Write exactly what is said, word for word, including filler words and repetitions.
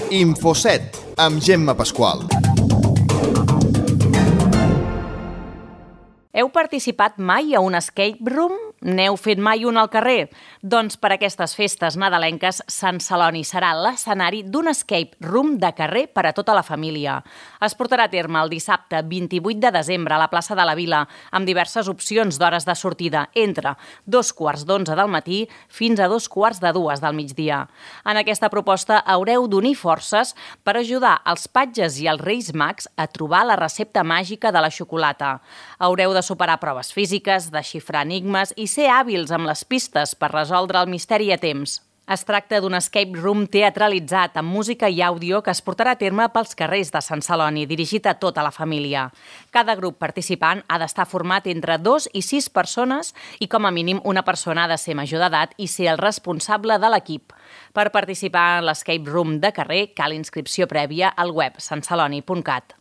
Infoset, amb Gemma Pasqual. Heu participat mai a un escape room? N'heu fet mai un al carrer? Doncs per aquestes festes nadalenques, Sant Celoni serà l'escenari d'un escape room de carrer per a tota la família. Es portarà a terme el dissabte vint-i-vuit de desembre a la plaça de la Vila, amb diverses opcions d'hores de sortida, entre dos quarts d'onze del matí fins a dos quarts de dues del migdia. En aquesta proposta haureu d'unir forces per ajudar els patges i els reis mags a trobar la recepta màgica de la xocolata. Haureu de superar proves físiques, desxifrar enigmes i ser hàbils amb les pistes per resoldre el misteri a temps. Es tracta d'un escape room teatralitzat amb música i àudio que es portarà a terme pels carrers de Sant Celoni, dirigit a tota la família. Cada grup participant ha d'estar format entre dos i sis persones i com a mínim una persona ha de ser major d'edat i ser el responsable de l'equip. Per participar en l'escape room de carrer cal inscripció prèvia al web sant celoni punt cat.